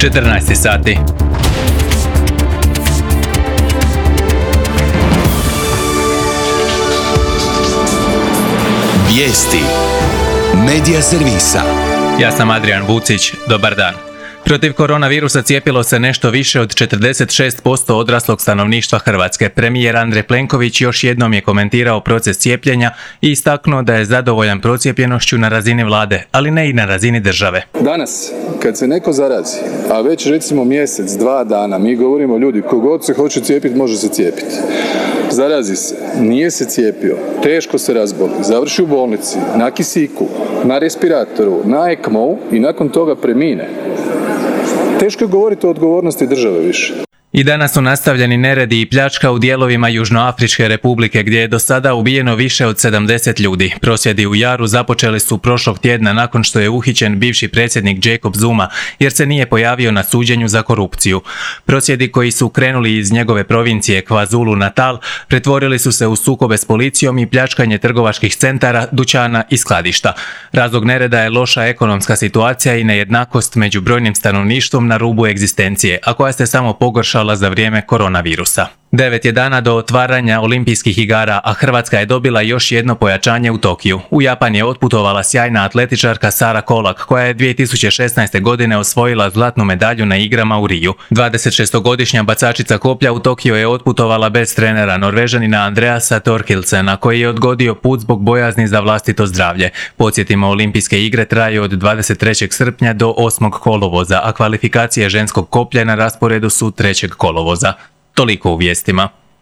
14 sati. Vijesti Medija servisa. Ja sam Adrian Vucić, dobar dan. Protiv koronavirusa cijepilo se nešto više od 46% odraslog stanovništva Hrvatske. Premijer Andrej Plenković još jednom je komentirao proces cijepljenja i istaknuo da je zadovoljan procijepljenošću na razini vlade, ali ne i na razini države. Danas, kad se neko zarazi, a već recimo mjesec, 2 dana, mi govorimo ljudi, kogod se hoće cijepiti, može se cijepiti. Zarazi se, nije se cijepio, teško se razboli, završi u bolnici, na kisiku, na respiratoru, na ECMO-u i nakon toga premine. Teško je govoriti o odgovornosti države više. I danas su nastavljeni neredi i pljačka u dijelovima Južnoafričke republike gdje je do sada ubijeno više od 70 ljudi. Prosvjedi u Jaru započeli su prošlog tjedna nakon što je uhićen bivši predsjednik Jacob Zuma jer se nije pojavio na suđenju za korupciju. Prosvjedi koji su krenuli iz njegove provincije KwaZulu Natal pretvorili su se u sukobe s policijom i pljačkanje trgovačkih centara, dućana i skladišta. Razlog nereda je loša ekonomska situacija i nejednakost među brojnim stanovništvom na rubu egzistencije, a koja se samo pogoršala za vrijeme koronavirusa. 9 je dana do otvaranja olimpijskih igara, a Hrvatska je dobila još jedno pojačanje u Tokiju. U Japan je otputovala sjajna atletičarka Sara Kolak, koja je 2016. godine osvojila zlatnu medalju na igrama u Riju. 26-godišnja bacačica koplja u Tokiju je otputovala bez trenera Norvežanina Andreasa Thorkildsena, koji je odgodio put zbog bojazni za vlastito zdravlje. Podsjetimo, olimpijske igre traju od 23. srpnja do 8. kolovoza, a kvalifikacije ženskog koplja na rasporedu su 3. kolovoza. Toliko u vijestima.